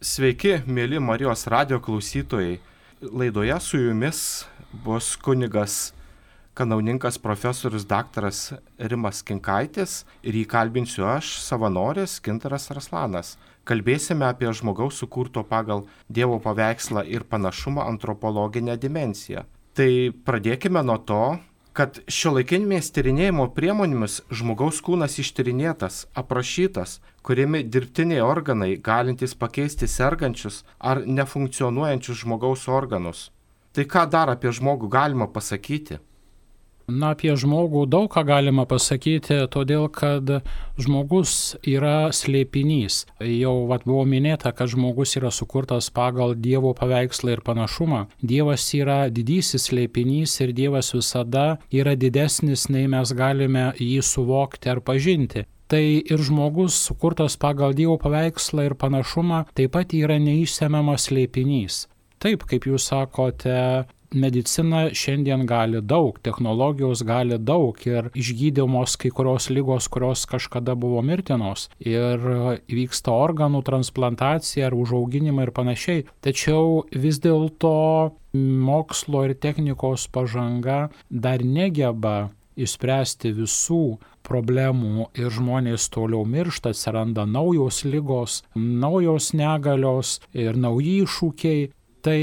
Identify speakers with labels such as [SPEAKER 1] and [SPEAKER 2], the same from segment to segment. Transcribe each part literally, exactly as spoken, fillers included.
[SPEAKER 1] Sveiki, mėly Marijos radijo klausytojai. Laidoje su jumis bus kunigas kanauninkas profesorius daktaras Rimas Kinkaitis ir jį kalbinsiu aš, savanoris Gintaras Arslanas. Kalbėsime apie žmogaus sukurto pagal Dievo paveikslą ir panašumą antropologinę dimensiją. Tai pradėkime nuo to, kad šiuolaikinėmis tyrinėjimo priemonėmis žmogaus kūnas ištyrinėtas, aprašytas, kuriami dirbtiniai organai galintys pakeisti sergančius ar nefunkcionuojančius žmogaus organus. Tai ką dar apie žmogų galima pasakyti?
[SPEAKER 2] Na, apie žmogų daug ką galima pasakyti, todėl kad žmogus yra slėpinys. Jau vat, buvo minėta, kad žmogus yra sukurtas pagal Dievo paveikslą ir panašumą. Dievas yra didysis slėpinys ir Dievas visada yra didesnis, nei mes galime jį suvokti ar pažinti. Tai ir žmogus sukurtas pagal Dievo paveikslą ir panašumą taip pat yra neišsemiamas slėpinys. Taip, kaip jūs sakote, medicina šiandien gali daug, technologijos gali daug ir išgydomos kai kurios ligos, kurios kažkada buvo mirtinos ir vyksta organų transplantacija ar užauginimai ir panašiai. Tačiau vis dėlto mokslo ir technikos pažanga dar negeba išspręsti visų problemų ir žmonės toliau miršta, atsiranda naujos ligos, naujos negalios ir nauji iššūkiai. Tai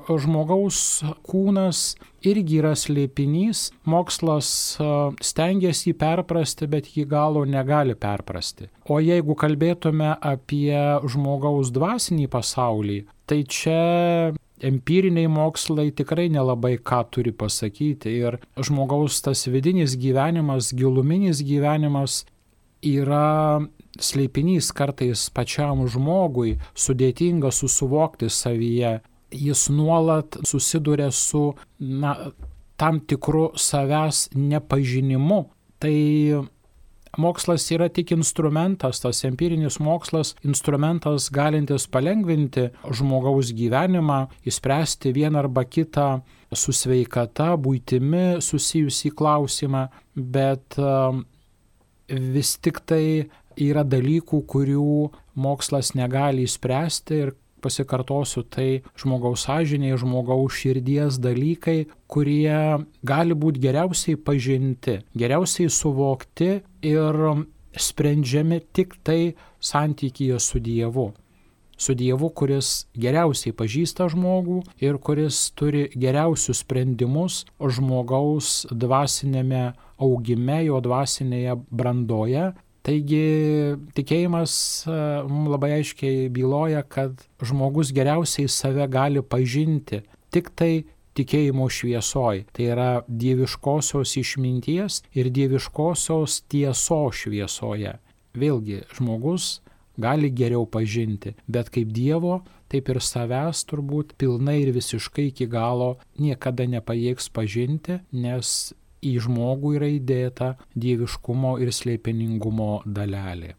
[SPEAKER 2] žmogaus kūnas irgi yra slėpinys, mokslas stengiasi jį perprasti, bet iki galo negali perprasti. O jeigu kalbėtume apie žmogaus dvasinį pasaulį, tai čia empiriniai mokslai tikrai nelabai ką turi pasakyti ir žmogaus tas vidinis gyvenimas, giluminis gyvenimas yra slėpinys kartais pačiam žmogui, sudėtinga susivokti savyje. Jis nuolat susiduria su na, tam tikru savęs nepažinimu. Tai mokslas yra tik instrumentas, tas empirinis mokslas, instrumentas galintis palengvinti žmogaus gyvenimą, išspręsti vieną arba kitą su sveikata, buitimi susijusį klausimą, bet vis tik tai yra dalykų, kurių mokslas negali išspręsti ir pasikartosiu, tai žmogaus sąžinė, žmogaus širdies dalykai, kurie gali būti geriausiai pažinti, geriausiai suvokti ir sprendžiami tik tai santykyje su Dievu. Su Dievu, kuris geriausiai pažįsta žmogų ir kuris turi geriausius sprendimus žmogaus dvasinėme augime, jo dvasinėje brandoje. Taigi tikėjimas mums labai aiškiai byloja, kad žmogus geriausiai save gali pažinti tik tai tikėjimo šviesoj. Tai yra dieviškosios išminties ir dieviškosios tiesos šviesoje. Vėlgi, žmogus gali geriau pažinti, bet kaip Dievo, taip ir savęs turbūt pilnai ir visiškai iki galo niekada nepajėgs pažinti, nes į žmogų yra įdėta dieviškumo ir slėpiningumo dalelė.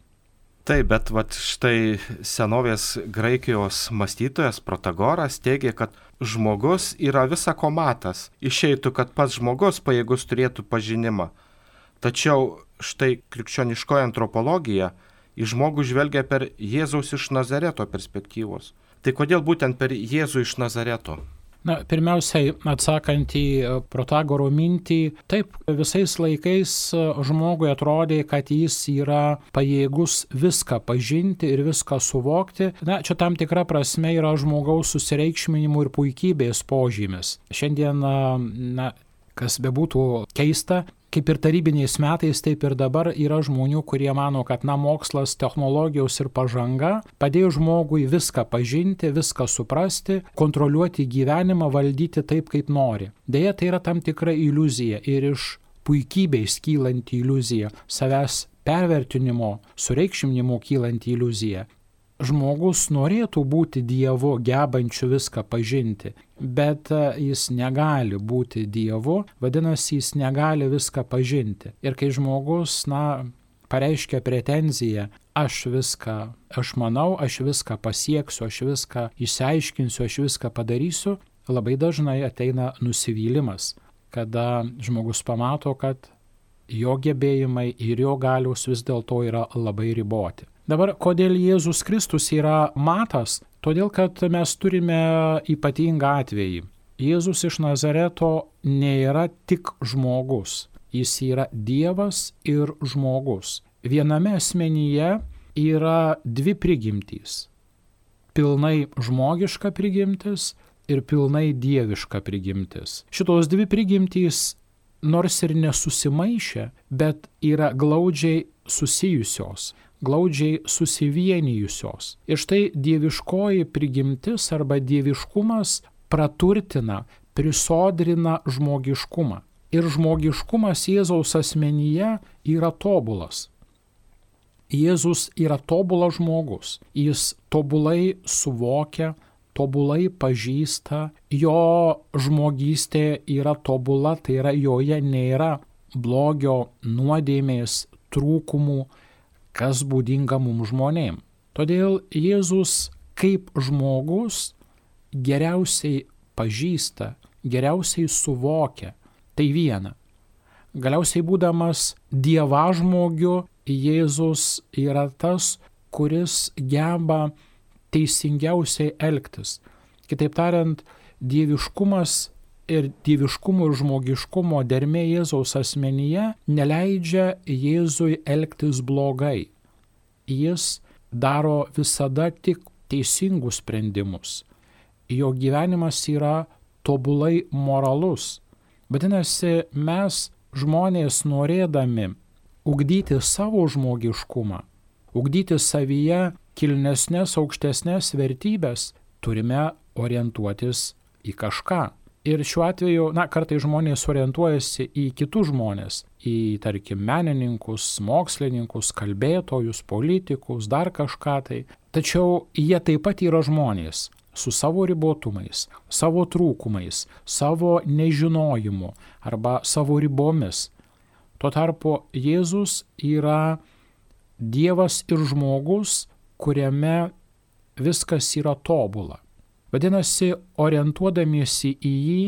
[SPEAKER 1] Taip, bet vat štai senovės Graikijos mąstytojas Protagoras teigia, kad žmogus yra visako matas. Išeitų, kad pats žmogus pajėgus turėtų pažinimą. Tačiau štai krikščioniškoji antropologija į žmogų žvelgia per Jėzaus iš Nazareto perspektyvos. Tai kodėl būtent per Jėzų iš Nazareto?
[SPEAKER 2] Na, pirmiausiai, atsakant į Protagoro mintį, taip, visais laikais žmogui atrodė, kad jis yra pajėgus viską pažinti ir viską suvokti. Na, čia tam tikra prasme yra žmogaus susireikšminimų ir puikybės požymis. Šiandien, na, kas bebūtų keista, kaip ir tarybiniais metais, taip ir dabar yra žmonių, kurie mano, kad na, mokslas, technologijos ir pažanga padėjo žmogui viską pažinti, viską suprasti, kontroliuoti gyvenimą, valdyti taip, kaip nori. Deja, tai yra tam tikra iliuzija ir iš puikybės kylanti iliuzija, savęs pervertinimo, sureikšminimo kylanti iliuzija. Žmogus norėtų būti Dievu, gebančiu viską pažinti, bet jis negali būti Dievu, vadinasi, jis negali viską pažinti. Ir kai žmogus, na, pareiškia pretenziją, aš viską, aš manau, aš viską pasieksiu, aš viską išsiaiškinsiu, aš viską padarysiu, labai dažnai ateina nusivylimas, kada žmogus pamato, kad jo gebėjimai ir jo galios vis dėlto yra labai riboti. Dabar, kodėl Jėzus Kristus yra matas? Todėl, kad mes turime ypatingą atvejį. Jėzus iš Nazareto nėra tik žmogus. Jis yra Dievas ir žmogus. Viename asmenyje yra dvi prigimtys. Pilnai žmogiška prigimtis ir pilnai dieviška prigimtis. Šitos dvi prigimtys nors ir nesusimaišę, bet yra glaudžiai susijusios, glaudžiai susivienijusios. Ir štai dieviškoji prigimtis arba dieviškumas praturtina, prisodrina žmogiškumą. Ir žmogiškumas Jėzaus asmenyje yra tobulas. Jėzus yra tobulas žmogus. Jis tobulai suvokia, tobulai pažįsta, jo žmogystė yra tobula, tai yra joje nėra blogio, nuodėmės, trūkumų, kas būdinga mums žmonėm. Todėl Jėzus kaip žmogus geriausiai pažįsta, geriausiai suvokia. Tai viena. Galiausiai būdamas dievažmogiu, Jėzus yra tas, kuris geba teisingiausiai elgtis. Kitaip tariant, dieviškumas ir dieviškumo ir žmogiškumo dermė Jėzaus asmenyje neleidžia Jėzui elgtis blogai. Jis daro visada tik teisingus sprendimus. Jo gyvenimas yra tobulai moralus. Vadinasi, mes žmonės norėdami ugdyti savo žmogiškumą, ugdyti savyje kilnesnės, aukštesnės vertybės, turime orientuotis į kažką. Ir šiuo atveju, na, kartais žmonės orientuojasi į kitus žmonės, į, tarkim, menininkus, mokslininkus, kalbėtojus, politikus, dar kažką tai. Tačiau jie taip pat yra žmonės su savo ribotumais, savo trūkumais, savo nežinojimu arba savo ribomis. Tuo tarpu Jėzus yra Dievas ir žmogus, kuriame viskas yra tobula. Vadinasi, orientuodamiesi į jį,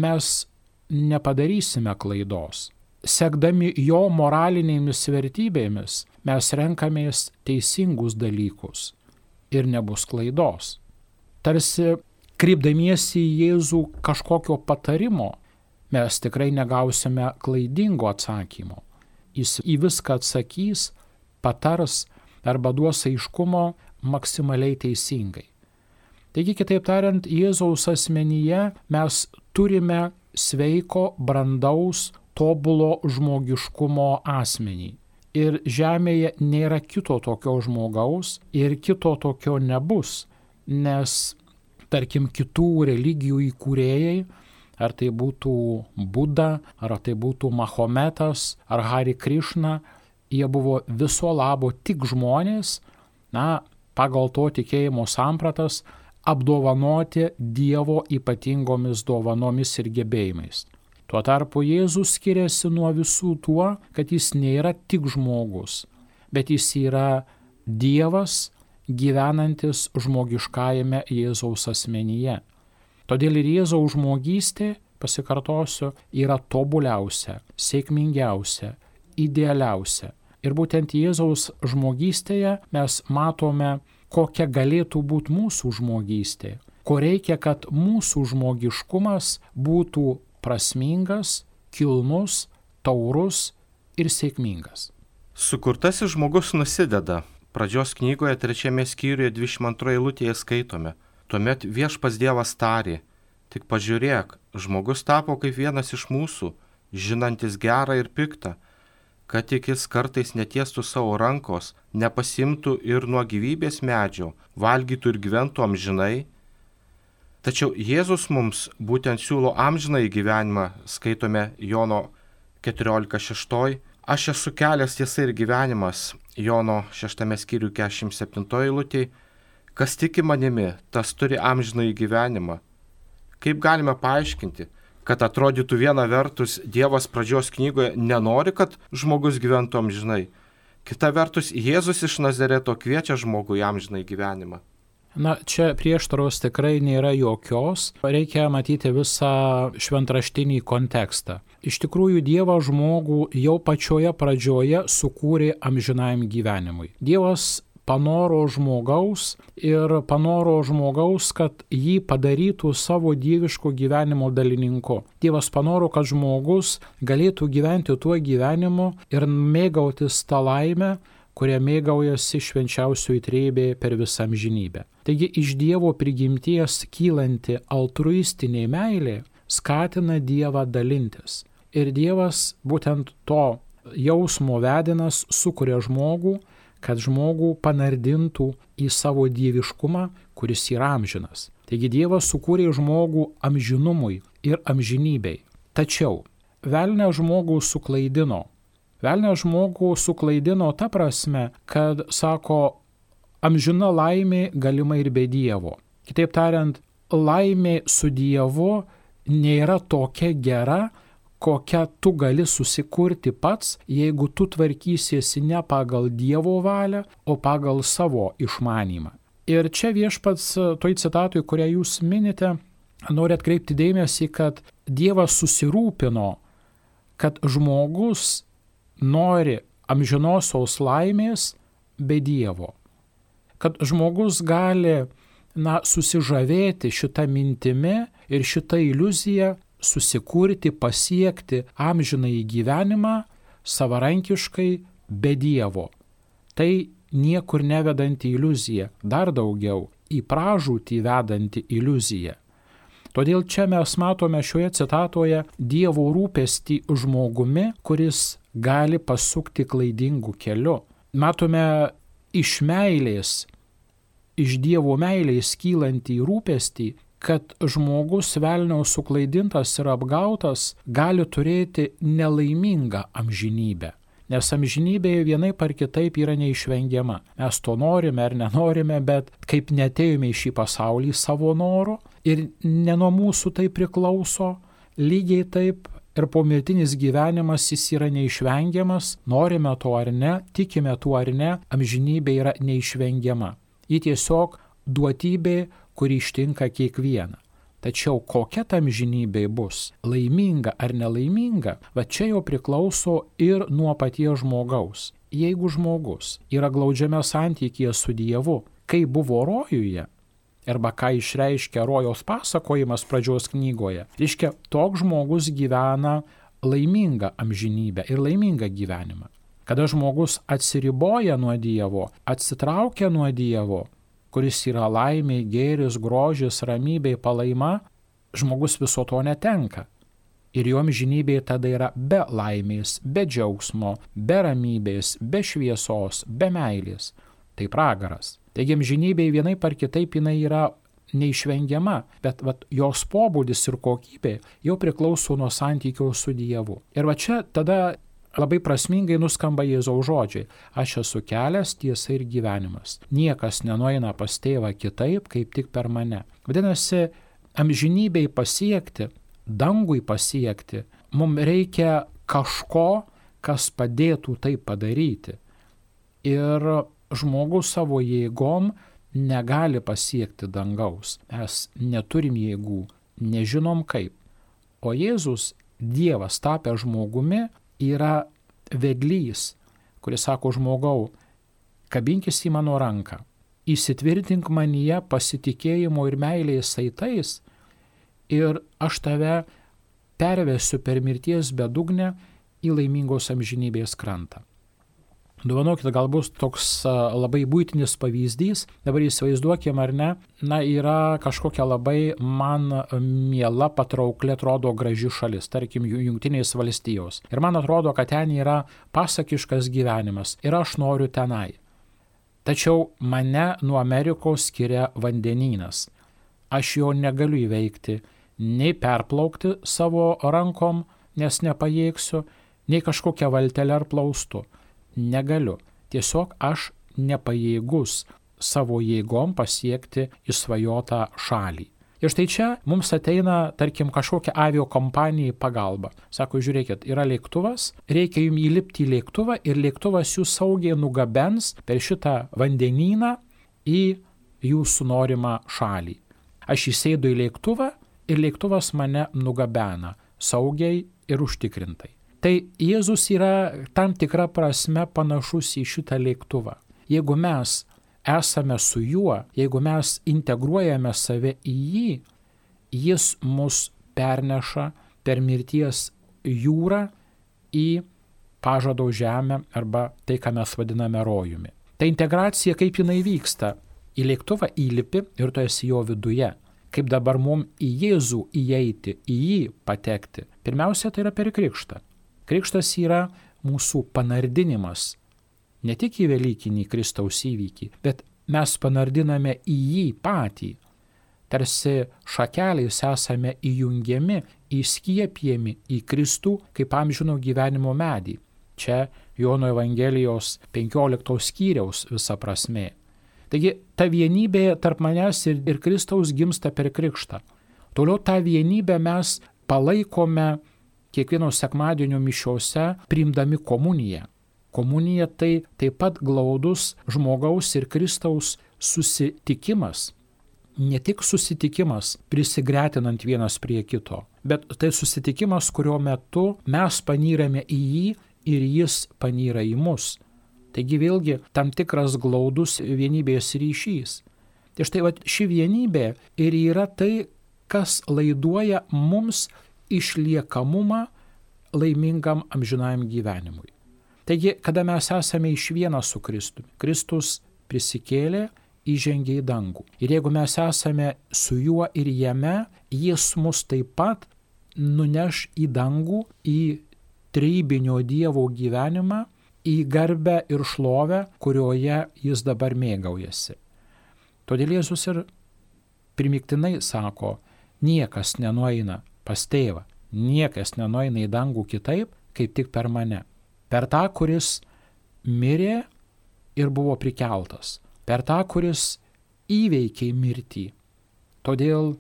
[SPEAKER 2] mes nepadarysime klaidos. Sekdami jo moralinėmis vertybėmis, mes renkamės teisingus dalykus ir nebus klaidos. Tarsi kreipdamiesi į Jėzų kažkokio patarimo, mes tikrai negausime klaidingo atsakymo. Jis į viską atsakys, patars arba duos aiškumo maksimaliai teisingai. Taigi, kitaip tariant, Jėzaus asmenyje mes turime sveiko, brandaus, tobulo žmogiškumo asmenį. Ir žemėje nėra kito tokio žmogaus ir kito tokio nebus, nes, tarkim, kitų religijų įkūrėjai, ar tai būtų Buda, ar tai būtų Mahometas, ar Hari Krišna, jie buvo viso labo tik žmonės, na, pagal to tikėjimo sampratas, apdovanoti Dievo ypatingomis dovanomis ir gebėjimais. Tuo tarpu Jėzus skiriasi nuo visų tuo, kad jis nėra tik žmogus, bet jis yra Dievas gyvenantis žmogiškajame Jėzaus asmenyje. Todėl ir Jėzaus žmogystė, pasikartosiu, yra tobuliausia, sėkmingiausia, idealiausia. Ir būtent Jėzaus žmogystėje mes matome, kokia galėtų būti mūsų žmogystė, ko reikia, kad mūsų žmogiškumas būtų prasmingas, kilnus, taurus ir sėkmingas.
[SPEAKER 1] Sukurtasis žmogus nusideda. Pradžios knygoje trečiame skyriuje dvidešimt antroje eilutėje skaitome. Tuomet viešpats Dievas tarė, tik pažiūrėk, žmogus tapo kaip vienas iš mūsų, žinantis gerą ir piktą, kad tik jis kartais netiestų savo rankos, nepasimtų ir nuo gyvybės medžio, valgytų ir gyventų amžinai. Tačiau Jėzus mums būtent siūlo amžinąjį gyvenimą, skaitome Jono keturiolika šeši. Aš esu kelias, tiesa ir gyvenimas, Jono šeštame skyriuje keturiasdešimt septintoje eilutėje. Kas tiki manimi, tas turi amžinąjį gyvenimą. Kaip galime paaiškinti, kad atrodytų viena vertus Dievas pradžios knygoje nenori, kad žmogus gyventų amžinai. Kita vertus, Jėzus iš Nazareto kviečia žmogų į amžinąjį gyvenimą.
[SPEAKER 2] Na, čia prieštaros tikrai nėra jokios, reikia matyti visą šventraštinį kontekstą. Iš tikrųjų, Dievas žmogų jau pačioje pradžioje sukūrė amžinajam gyvenimui. Dievas panoro žmogaus ir panoro žmogaus, kad jį padarytų savo dieviško gyvenimo dalininku. Dievas panoro, kad žmogus galėtų gyventi tuo gyvenimu ir mėgautis tą laimę, kurie mėgaujasi švenčiausioji trejybė per visą amžinybę. Taigi iš Dievo prigimties kylanti altruistinė meilė skatina Dievą dalintis. Ir Dievas būtent to jausmo vedinas sukuria žmogų, kad žmogų panardintų į savo dieviškumą, kuris yra amžinas. Taigi Dievas sukūrė žmogų amžinumui ir amžinybei. Tačiau velnias žmogų suklaidino. Velnias žmogų suklaidino ta prasme, kad, sako, amžina laimė galima ir be Dievo. Kitaip tariant, laimė su Dievu nėra tokia gera, kokią tu gali susikurti pats, jeigu tu tvarkysiesi ne pagal Dievo valią, o pagal savo išmanymą. Ir čia viešpats toj citatui, kurią jūs minite, nori atkreipti dėmesį, kad Dievas susirūpino, kad žmogus nori amžinosios laimės be Dievo. Kad žmogus gali, na, susižavėti šitą mintimi ir šitą iliuziją, susikurti, pasiekti amžinąjį gyvenimą savarankiškai be Dievo. Tai niekur nevedanti iliuzija, dar daugiau į pražūtį vedanti iliuzija. Todėl čia mes matome šioje citatoje Dievo rūpestį žmogumi, kuris gali pasukti klaidingų keliu. Matome iš meilės, iš Dievo meilės kylantį rūpestį, kad žmogus velnio suklaidintas ir apgautas gali turėti nelaimingą amžinybę. Nes amžinybė vienaip ar kitaip yra neišvengiama. Mes to norime ar nenorime, bet kaip neatėjome į šį pasaulį savo noru ir ne nuo mūsų tai priklauso, lygiai taip ir pomirtinis gyvenimas jis yra neišvengiamas, norime to ar ne, tikime tuo ar ne, amžinybė yra neišvengiama. Ji tiesiog duotybė, kuri ištinka kiekvieną. Tačiau kokia ta amžinybė bus, laiminga ar nelaiminga, va čia jau priklauso ir nuo paties žmogaus. Jeigu žmogus yra glaudžiame santykyje su Dievu, kai buvo rojuje, arba ką išreiškia rojaus pasakojimas pradžios knygoje, reiškia, toks žmogus gyvena laimingą amžinybę ir laimingą gyvenimą. Kada žmogus atsiriboja nuo Dievo, atsitraukia nuo Dievo, kuris yra laimė, gėris, grožis, ramybė, palaima, žmogus viso to netenka. Ir jo amžinybė tada yra be laimės, be džiaugsmo, be ramybės, be šviesos, be meilės. Tai pragaras. Taigi amžinybė vienaip ar kitaip jinai yra neišvengiama, bet vat, jos pobūdis ir kokybė jau priklauso nuo santykio su Dievu. Ir va čia tada labai prasmingai nuskamba Jėzaus žodžiai. Aš esu kelias, tiesa ir gyvenimas. Niekas nenueina pas tėvą kitaip, kaip tik per mane. Vadinasi, amžinybei pasiekti, dangui pasiekti, mums reikia kažko, kas padėtų tai padaryti. Ir žmogus savo jėgom negali pasiekti dangaus. Mes neturim jėgų, nežinom kaip. O Jėzus, Dievas tapęs žmogumi, yra vedlys, kuris sako žmogau, kabinkis į mano ranką, įsitvirtink manyje pasitikėjimo ir meilės saitais ir aš tave pervesiu per mirties bedugnę į laimingos amžinybės krantą. Dovanokit, galbūt toks labai buitinis pavyzdys, dabar įsivaizduokim ar ne, na yra kažkokia labai man miela, patraukli, atrodo graži šalis, tarkim Jungtinės valstijos. Ir man atrodo, kad ten yra pasakiškas gyvenimas ir aš noriu tenai. Tačiau mane nuo Amerikos skiria vandenynas. Aš jo negaliu įveikti, nei perplaukti savo rankom, nes nepajėgsiu, nei kažkokią valtelę ar plaustu. Negaliu. Tiesiog aš nepajėgus savo jėgom pasiekti išsvajotą šalį. Ir štai čia mums ateina, tarkim, kažkokia aviokompanija į pagalbą. Sako, žiūrėkit, yra lėktuvas, reikia jums įlipti į lėktuvą ir lėktuvas jūs saugiai nugabens per šitą vandenyną į jūsų norimą šalį. Aš įsėdu į lėktuvą ir lėktuvas mane nugabena saugiai ir užtikrintai. Tai Jėzus yra tam tikra prasme panašus į šitą lėktuvą. Jeigu mes esame su juo, jeigu mes integruojame save į jį, jis mus perneša per mirties jūrą į pažado žemę arba tai, ką mes vadiname rojumi. Ta integracija, kaip jinai vyksta, į lėktuvą įlipi ir tu esi jo viduje. Kaip dabar mums į Jėzų įeiti, į jį patekti. Pirmiausia, tai yra per krikštą. Krikštas yra mūsų panardinimas, ne tik į Velykinį Kristaus įvykį, bet mes panardiname į jį patį. Tarsi šakeliais esame įjungiami, įskiepijami į Kristų kaip amžino gyvenimo medį. Čia Jono Evangelijos penkioliktos skyriaus visa prasmė. Taigi ta vienybė tarp manęs ir, ir Kristaus gimsta per krikštą. Toliau tą vienybę mes palaikome kiekvieno sekmadienio mišiose priimdami komuniją. Komunija tai taip pat glaudus žmogaus ir Kristaus susitikimas. Ne tik susitikimas prisigretinant vienas prie kito, bet tai susitikimas, kurio metu mes panyrame į jį ir jis panyra į mus. Taigi vėlgi tam tikras glaudus vienybės ryšys. Tai štai va, ši vienybė ir yra tai, kas laiduoja mums išliekamumą laimingam amžinajam gyvenimui. Taigi, kada mes esame iš viena su Kristumi, Kristus prisikėlė, įžengė į dangų. Ir jeigu mes esame su juo ir jame, jis mus taip pat nuneš į dangų, į trejybinio Dievo gyvenimą, į garbę ir šlovę, kurioje jis dabar mėgaujasi. Todėl Jėzus ir primiktinai sako, niekas nenueina pas tėvą, niekas nenueina į dangų kitaip, kaip tik per mane. Per tą, kuris mirė ir buvo prikeltas. Per tą, kuris įveikė mirtį. Todėl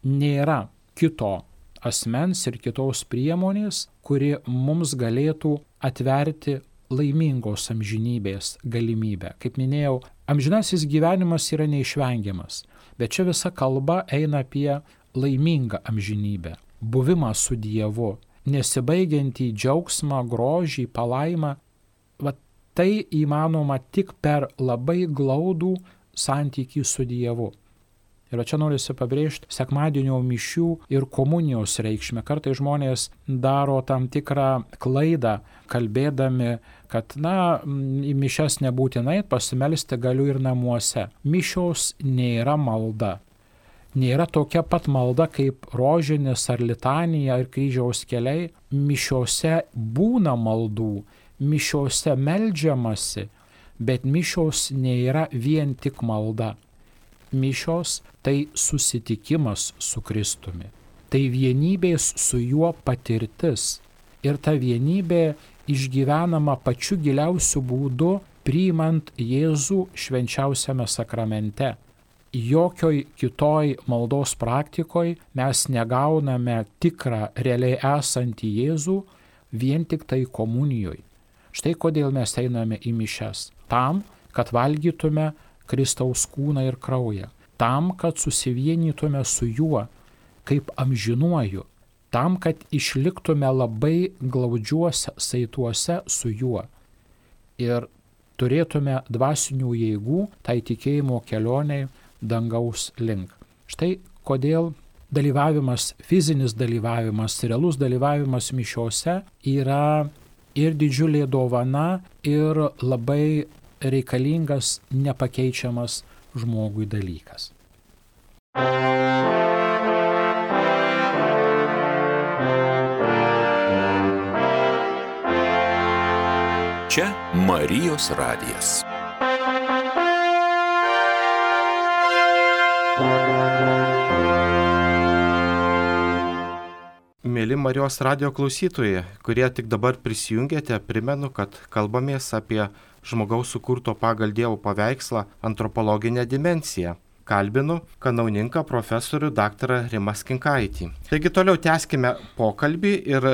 [SPEAKER 2] nėra kito asmens ir kitos priemonės, kuri mums galėtų atverti laimingos amžinybės galimybę. Kaip minėjau, amžinasis gyvenimas yra neišvengiamas, bet čia visa kalba eina apie laimingą amžinybę, buvimą su Dievu, nesibaigiantį džiaugsmą, grožį, palaimą. Va tai įmanoma tik per labai glaudų santykį su Dievu. Ir čia norisi pabrėžti sekmadienio mišių ir komunijos reikšmę. Kartais žmonės daro tam tikrą klaidą, kalbėdami, kad, na, į mišias nebūtinai, pasimelsti galiu ir namuose. Mišios nėra malda. Nėra tokia pat malda kaip rožinis ar litanija ar kryžiaus keliai. Mišiose būna maldų, mišiose meldžiamasi, bet mišios nėra vien tik malda. Mišios tai susitikimas su Kristumi, tai vienybės su juo patirtis ir ta vienybė išgyvenama pačiu giliausiu būdu priimant Jėzų švenčiausiame sakramente. Jokioj kitoj maldos praktikoje mes negauname tikrą realiai esantį Jėzų vien tik tai komunijoje. Štai kodėl mes einame į mišias. Tam, kad valgytume Kristaus kūną ir kraują. Tam, kad susivienytume su juo kaip amžinuoju. Tam, kad išliktume labai glaudžiuose saituose su juo. Ir turėtume dvasinių jėgų tai tikėjimo kelioniai dangaus link. Štai kodėl dalyvavimas, fizinis dalyvavimas, realus dalyvavimas mišiose yra ir didžiulė dovana, ir labai reikalingas, nepakeičiamas žmogui dalykas.
[SPEAKER 3] Čia Marijos radijas.
[SPEAKER 1] Mėly Marijos radijo klausytojai, kurie tik dabar prisijungėte, primenu, kad kalbamės apie žmogaus sukurto pagal Dievo paveikslą antropologinę dimensiją. Kalbinu kanauninką profesorių daktarą Rimą Skinkaitį. Taigi toliau tęskime pokalbį ir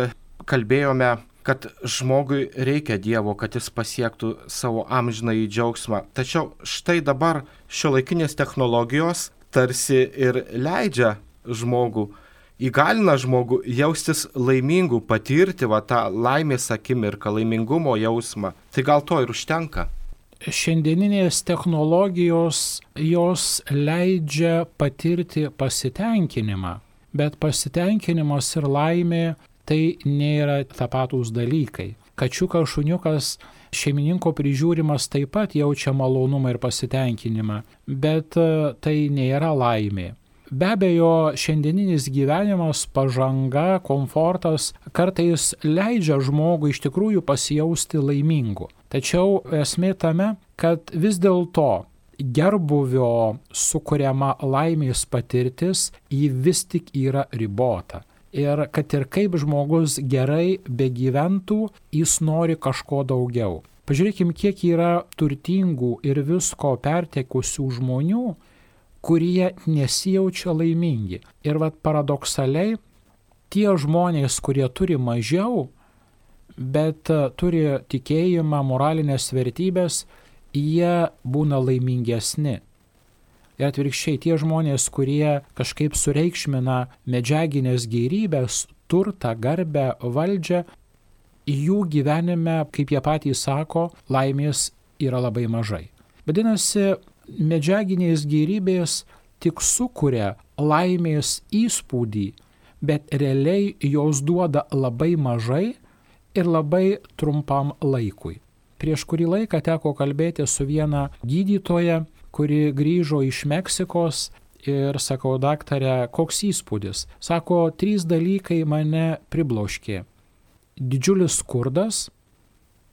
[SPEAKER 1] kalbėjome kad žmogui reikia Dievo, kad jis pasiektų savo amžinąjį džiaugsmą. Tačiau štai dabar šiuolaikinės technologijos tarsi ir leidžia žmogų, įgalina žmogų jaustis laimingų, patirti va tą laimės akimirką, laimingumo jausmą. Tai gal to ir užtenka?
[SPEAKER 2] Šiandieninės technologijos jos leidžia patirti pasitenkinimą, bet pasitenkinimas ir laimė tai nėra tapatūs dalykai. Kačiukas, šuniukas, šeimininko prižiūrimas taip pat jaučia malonumą ir pasitenkinimą, bet tai nėra laimė. Be abejo, šiandieninis gyvenimas, pažanga, komfortas kartais leidžia žmogui iš tikrųjų pasijausti laimingu. Tačiau esmė tame, kad vis dėlto gerbuvio sukuriama laimės patirtis, ji vis tik yra ribota. Ir kad ir kaip žmogus gerai begyventų, jis nori kažko daugiau. Pažiūrėkim, kiek yra turtingų ir visko pertekusių žmonių, kurie nesijaučia laimingi. Ir vat paradoksaliai, tie žmonės, kurie turi mažiau, bet turi tikėjimą, moralinės vertybės, jie būna laimingesni. Ir atvirkščiai, tie žmonės, kurie kažkaip sureikšmina medžiaginės gėrybės, turtą, garbę, valdžią, jų gyvenime, kaip jie patys sako, laimės yra labai mažai. Vadinasi, medžiaginės gėrybės tik sukuria laimės įspūdį, bet realiai jos duoda labai mažai ir labai trumpam laikui. Prieš kurį laiką teko kalbėti su viena gydytoja, kuri grįžo iš Meksikos ir sakau, daktarė, koks įspūdis? Sako, trys dalykai mane pribloškė. Didžiulis skurdas,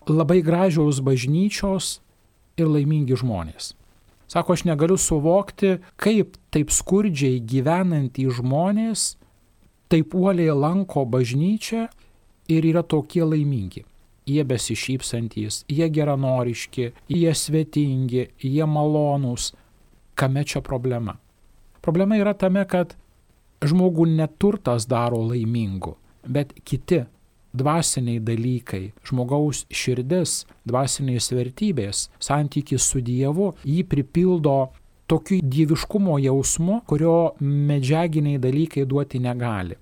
[SPEAKER 2] labai gražiaus bažnyčios ir laimingi žmonės. Sako, aš negaliu suvokti, kaip taip skurdžiai gyvenantys žmonės taip uoliai lanko bažnyčią ir yra tokie laimingi. Jie besišypsantys, jie geranoriški, jie svetingi, jie malonūs. Kame čia problema? Problema yra tame, kad žmogų neturtas daro laimingu, bet kiti dvasiniai dalykai, žmogaus širdis, dvasinės vertybės, santykis su Dievu, jį pripildo tokiu dieviškumo jausmu, kurio medžiaginiai dalykai duoti negali.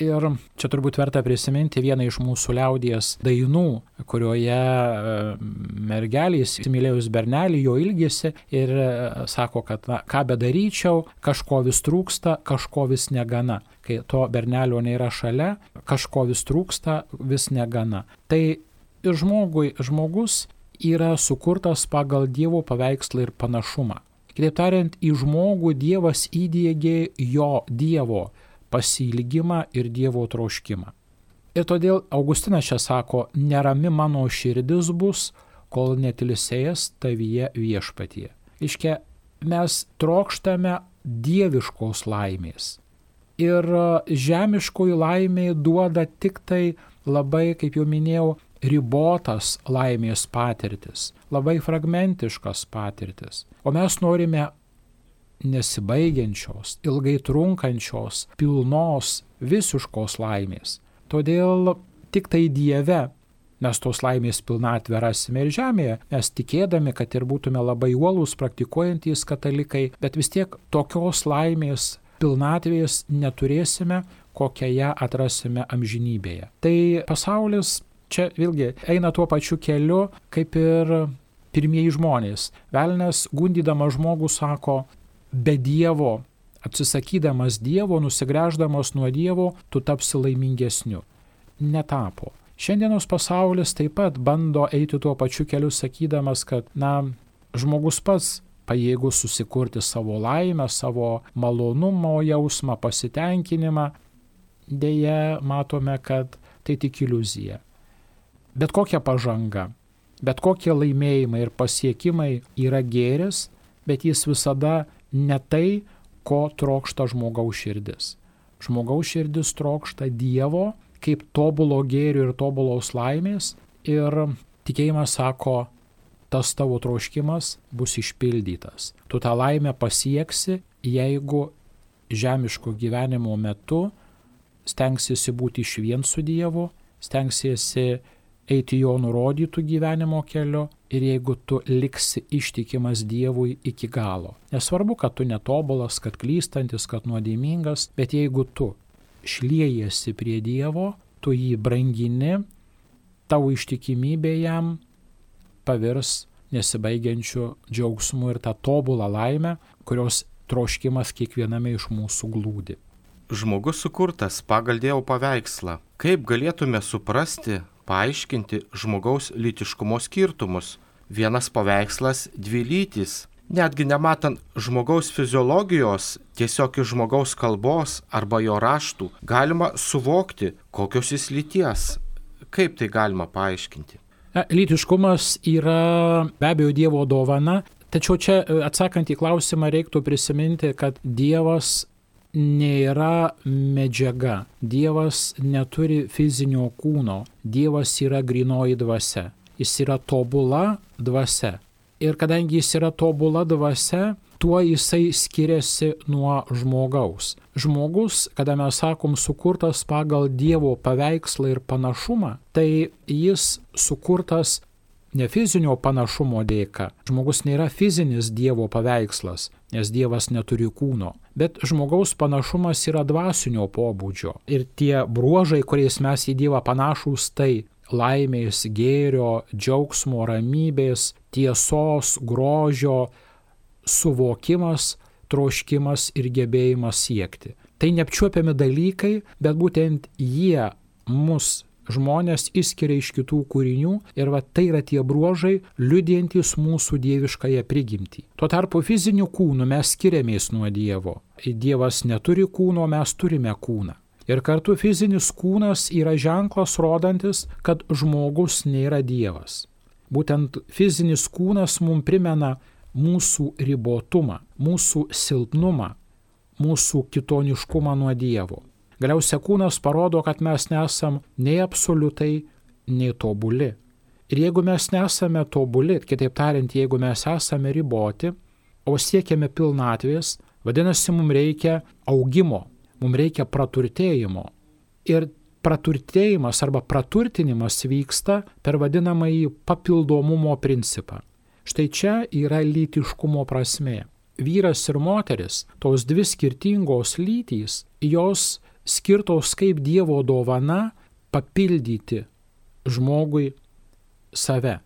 [SPEAKER 2] Ir čia turbūt verta prisiminti vieną iš mūsų liaudies dainų, kurioje mergelės įsimylėjus bernelį jo ilgisi ir sako, kad na, ką bedaryčiau, kažko vis trūksta, kažko vis negana. Kai to bernelio nėra šalia, kažko vis trūksta, vis negana. Tai žmogui, žmogus yra sukurtas pagal Dievo paveikslą ir panašumą. Kitaip tariant, į žmogų Dievas įdiegė jo Dievo pasiilgimą ir Dievo troškimą. Ir todėl Augustinas čia sako, nerami mano širdis bus, kol netilsės tavyje viešpatie. Iškia, mes trokštame dieviškos laimės. Ir žemiškoji laimė duoda tik tai labai, kaip jau minėjau, ribotas laimės patirtis, labai fragmentiškas patirtis. O mes norime nesibaigiančios, ilgai trunkančios, pilnos, visiškos laimės. Todėl tik tai Dieve mes tos laimės pilnatvę rasime ir žemėje, mes tikėdami, kad ir būtume labai uolūs praktikuojantys katalikai, bet vis tiek tokios laimės pilnatvės neturėsime, kokią ją atrasime amžinybėje. Tai pasaulis čia vėlgi eina tuo pačiu keliu, kaip ir pirmieji žmonės. Velnias, gundydamas žmogų, sako, be Dievo, atsisakydamas Dievo, nusigręždamas nuo Dievo, tu tapsi laimingesniu. Netapo. Šiandienos pasaulis taip pat bando eiti tuo pačiu keliu, sakydamas, kad, na, žmogus pats pajėgus susikurti savo laimę, savo malonumo jausmą, pasitenkinimą. Deja, matome, kad tai tik iliuzija. Bet kokia pažanga, bet kokie laimėjimai ir pasiekimai yra gėris, bet jis visada ne tai, ko trokšta žmogaus širdis. Žmogaus širdis trokšta Dievo kaip tobulo gėrio ir tobulos laimės ir tikėjimas sako, tas tavo troškimas bus išpildytas. Tu tą laimę pasieksi, jeigu žemiško gyvenimo metu stengsiesi būti išvien su Dievu, stengsiesi eiti jo nurodytų gyvenimo keliu ir jeigu tu liksi ištikimas Dievui iki galo. Nesvarbu, kad tu netobulas, kad klystantis, kad nuodėmingas, bet jeigu tu šliejasi prie Dievo, tu jį brangini, tavo ištikimybė jam pavirs nesibaigiančiu džiaugsmu ir tą tobulą laimę, kurios troškimas kiekviename iš mūsų glūdi.
[SPEAKER 1] Žmogus sukurtas pagal Dievo paveikslą. Kaip galėtume suprasti, paaiškinti žmogaus lytiškumo skirtumus? Vienas paveikslas, dvi lytys. Netgi nematant žmogaus fiziologijos, tiesiog iš žmogaus kalbos arba jo raštų, galima suvokti, kokios jis lyties. Kaip tai galima paaiškinti?
[SPEAKER 2] Lytiškumas yra be abejo Dievo dovana, tačiau čia atsakant į klausimą reiktų prisiminti, kad Dievas nėra medžiaga, Dievas neturi fizinio kūno, Dievas yra grynoji dvasia, jis yra tobula dvasia. Ir kadangi jis yra tobula dvasia, tuo jisai skiriasi nuo žmogaus. Žmogus, kada mes sakom sukurtas pagal Dievo paveikslą ir panašumą, tai jis sukurtas ne fizinio panašumo dėka. Žmogus nėra fizinis Dievo paveikslas, nes Dievas neturi kūno. Bet žmogaus panašumas yra dvasinio pobūdžio. Ir tie bruožai, kuriais mes į Dievą panašūs, tai laimės, gėrio, džiaugsmo, ramybės, tiesos, grožio, suvokimas, troškimas ir gebėjimas siekti. Tai neapčiuopiami dalykai, bet būtent jie mus žmonės išskiria iš kitų kūrinių ir va tai yra tie bruožai, liudijantys mūsų dieviškąją prigimtį. Tuo tarpu fiziniu kūnu mes skiriamės nuo Dievo. Dievas neturi kūno, mes turime kūną. Ir kartu fizinis kūnas yra ženklas rodantis, kad žmogus nėra Dievas. Būtent fizinis kūnas mums primena mūsų ribotumą, mūsų silpnumą, mūsų kitoniškumą nuo Dievo. Galiausiai kūnas parodo, kad mes nesam nei absoliutai, nei tobuli. Ir jeigu mes nesame tobuli, kitaip tariant, jeigu mes esame riboti, o siekiame pilnatvės, vadinasi, mums reikia augimo, mums reikia praturtėjimo. Ir praturtėjimas arba praturtinimas vyksta per vadinamąjį papildomumo principą. Štai čia yra lytiškumo prasmė. Vyras ir moteris, tos dvi skirtingos lytys, jos skirtos kaip Dievo dovana papildyti žmogui save.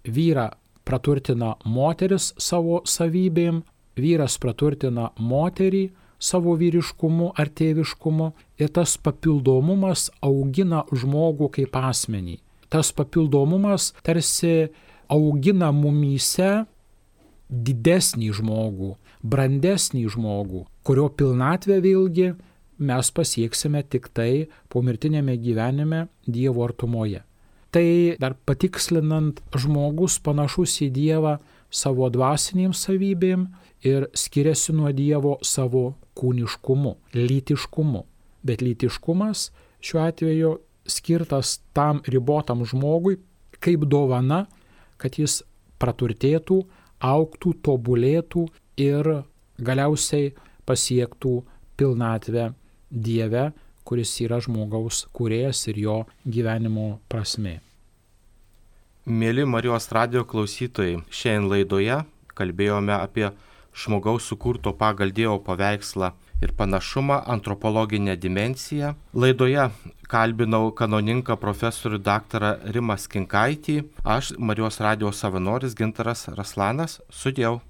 [SPEAKER 2] Vyrą praturtina moteris savo savybėm, vyras praturtina moterį savo vyriškumu ar tėviškumu ir tas papildomumas augina žmogų kaip asmenį. Tas papildomumas tarsi augina mumyse didesnį žmogų, brandesnį žmogų, kurio pilnatvę vėlgi mes pasieksime tik tai pomirtinėme gyvenime Dievo artumoje. Tai dar patikslinant, žmogus panašus į Dievą savo dvasinėm savybėm ir skiriasi nuo Dievo savo kūniškumu, lytiškumu. Bet lytiškumas šiuo atveju skirtas tam ribotam žmogui kaip dovana, kad jis praturtėtų, augtų, tobulėtų ir galiausiai pasiektų pilnatvę Dieve, kuris yra žmogaus kūrėjas ir jo gyvenimo prasmė.
[SPEAKER 1] Mėly Marijos radijo klausytojai, šiandien laidoje kalbėjome apie žmogaus sukurto pagal Dievo paveikslą ir panašumą, antropologinę dimensiją. Laidoje kalbinau kanauninką profesorių daktarą Rimą Skinkaitį, aš Marijos radijo savanoris Gintaras Raslanas, sudiev.